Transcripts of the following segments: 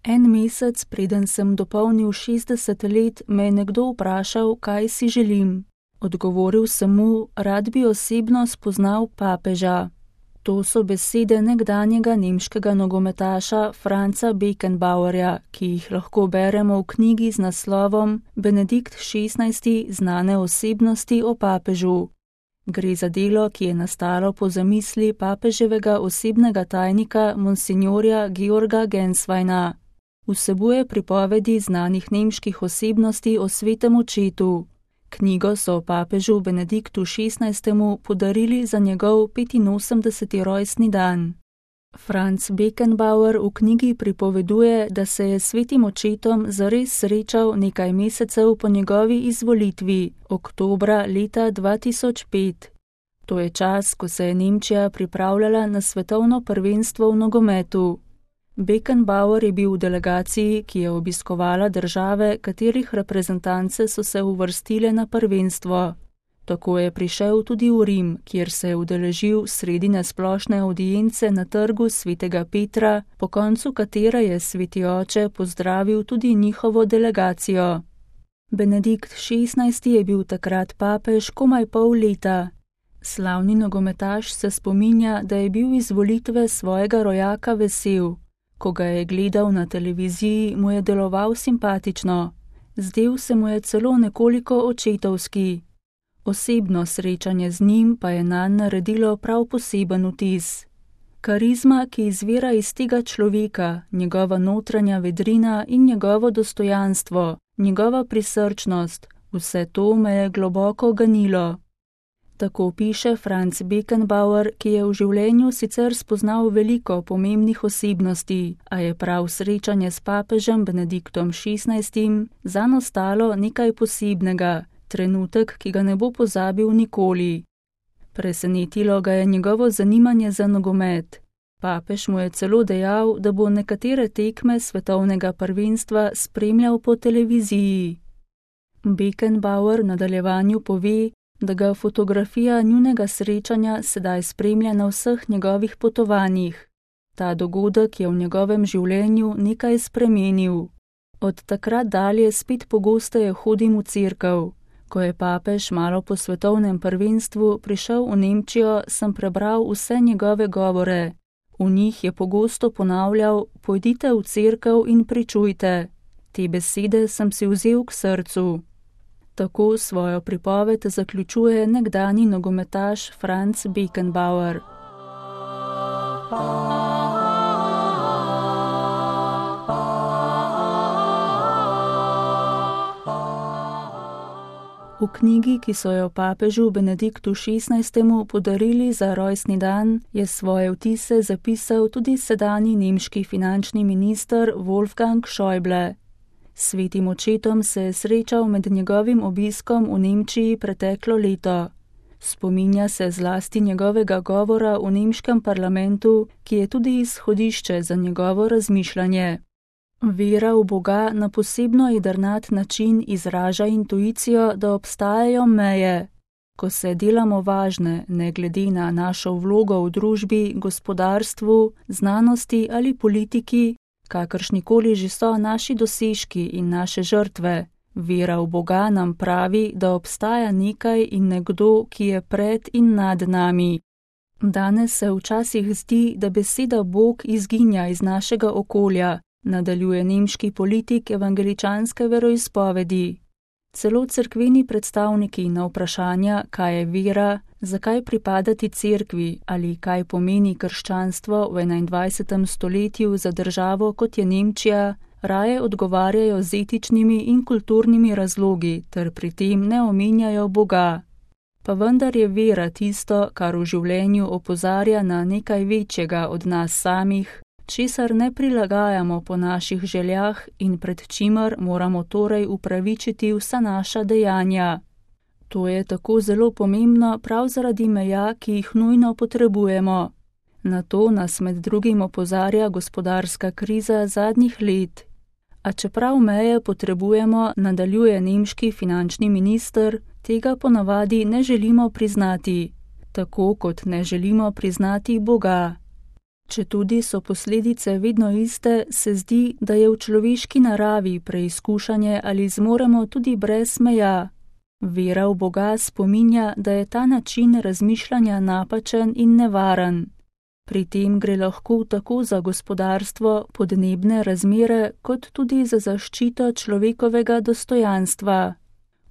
En mesec, preden sem dopolnil 60 let, me je nekdo vprašal, kaj si želim. Odgovoril sem mu, rad bi osebno spoznal papeža. To so besede nekdanjega nemškega nogometaša Franza Beckenbauerja, ki jih lahko beremo v knjigi z naslovom Benedikt XVI. Znane osebnosti o papežu. Gre za delo, ki je nastalo po zamisli papeževega osebnega tajnika monsignorja Georga Gensweina. Vsebuje pripovedi znanih nemških osebnosti o svetem očetu. Knjigo so papežu Benediktu XVI. Podarili za njegov 85. rojstni dan. Franz Beckenbauer v knjigi pripoveduje, da se je s svetim očetom zares srečal nekaj mesecev po njegovi izvolitvi, oktobra leta 2005. To je čas, ko se je Nemčija pripravljala na svetovno prvenstvo v nogometu. Beckenbauer je bil v delegaciji, ki je obiskovala države, katerih reprezentance so se uvrstile na prvenstvo. Tako je prišel tudi v Rim, kjer se je udeležil sredine splošne avdience na trgu svetega Petra, po koncu katere je sveti oče pozdravil tudi njihovo delegacijo. Benedikt XVI. Je bil takrat papež komaj pol leta. Slavni nogometaš se spominja, da je bil iz volitve svojega rojaka vesel. Ko ga je gledal na televiziji, mu je deloval simpatično. Zdel se mu je celo nekoliko očetovski. Osebno srečanje z njim pa je nanj naredilo prav poseben vtis. Karizma, ki izvira iz tega človeka, njegova notranja vedrina in njegovo dostojanstvo, njegova prisrčnost, vse to me je globoko ganilo. Tako piše Franz Beckenbauer, ki je v življenju sicer spoznal veliko pomembnih osebnosti, a je prav srečanje s papežem Benediktom XVI. Zanj ostalo nekaj posebnega, trenutek, ki ga ne bo pozabil nikoli. Presenetilo ga je njegovo zanimanje za nogomet. Papež mu je celo dejal, da bo nekatere tekme svetovnega prvenstva spremljal po televiziji. Beckenbauer v nadaljevanju pove, da ga fotografija njunega srečanja sedaj spremlja na vseh njegovih potovanjih. Ta dogodek je v njegovem življenju nekaj spremenil. Od takrat dalje spet pogosteje hodim v cerkev. Ko je papež malo po svetovnem prvenstvu prišel v Nemčijo, sem prebral vse njegove govore. V njih je pogosto ponavljal, pojdite v cerkev in pričujte. Te besede sem si vzel k srcu. Tako svojo pripoved zaključuje nekdanji nogometaš Franz Beckenbauer. V knjigi, ki so jo papežu Benediktu XVI. Podarili za rojstni dan, je svoje vtise zapisal tudi sedanji nemški finančni minister Wolfgang Schäuble. S svetim očetom se je srečal med njegovim obiskom v Nemčiji preteklo leto. Spominja se zlasti njegovega govora v nemškem parlamentu, ki je tudi izhodišče za njegovo razmišljanje. Vera v Boga na posebno jedrnat način izraža intuicijo, da obstajajo meje. Ko se delamo važne, ne glede na našo vlogo v družbi, gospodarstvu, znanosti ali politiki, kakršnikoli že so naši dosežki in naše žrtve, vera v Boga nam pravi, da obstaja nekaj in nekdo, ki je pred in nad nami. Danes se včasih zdi, da beseda Bog izginja iz našega okolja, nadaljuje nemški politik evangeličanske veroizpovedi. Celo cerkveni predstavniki na vprašanja, kaj je vera, zakaj pripadati cerkvi ali kaj pomeni krščanstvo v 21. stoletju za državo, kot je Nemčija, raje odgovarjajo z etičnimi in kulturnimi razlogi ter pri tem ne omenjajo Boga. Pa vendar je vera tisto, kar v življenju opozarja na nekaj večjega od nas samih, česar ne prilagajamo po naših željah in pred čimer moramo torej upravičiti vsa naša dejanja. To je tako zelo pomembno prav zaradi meja, ki jih nujno potrebujemo. Na to nas med drugim opozarja gospodarska kriza zadnjih let. A čeprav meje potrebujemo, nadaljuje nemški finančni minister, tega ponavadi ne želimo priznati, tako kot ne želimo priznati Boga. Četudi so posledice vedno iste, se zdi, da je v človeški naravi preizkušanje, ali zmoremo tudi brez meja. Vera v Boga spominja, da je ta način razmišljanja napačen in nevaren. Pri tem gre lahko tako za gospodarstvo, podnebne razmere, kot tudi za zaščito človekovega dostojanstva.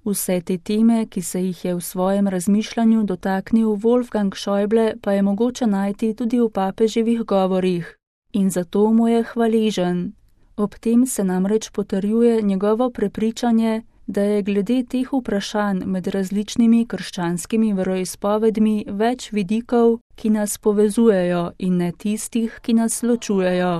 Vse te teme, ki se jih je v svojem razmišljanju dotaknil Wolfgang Schäuble, pa je mogoče najti tudi v papeževih govorih. In zato mu je hvaležen. Ob tem se namreč potrjuje njegovo prepričanje, da je glede teh vprašanj med različnimi krščanskimi veroizpovedmi več vidikov, ki nas povezujejo, in ne tistih, ki nas ločujejo.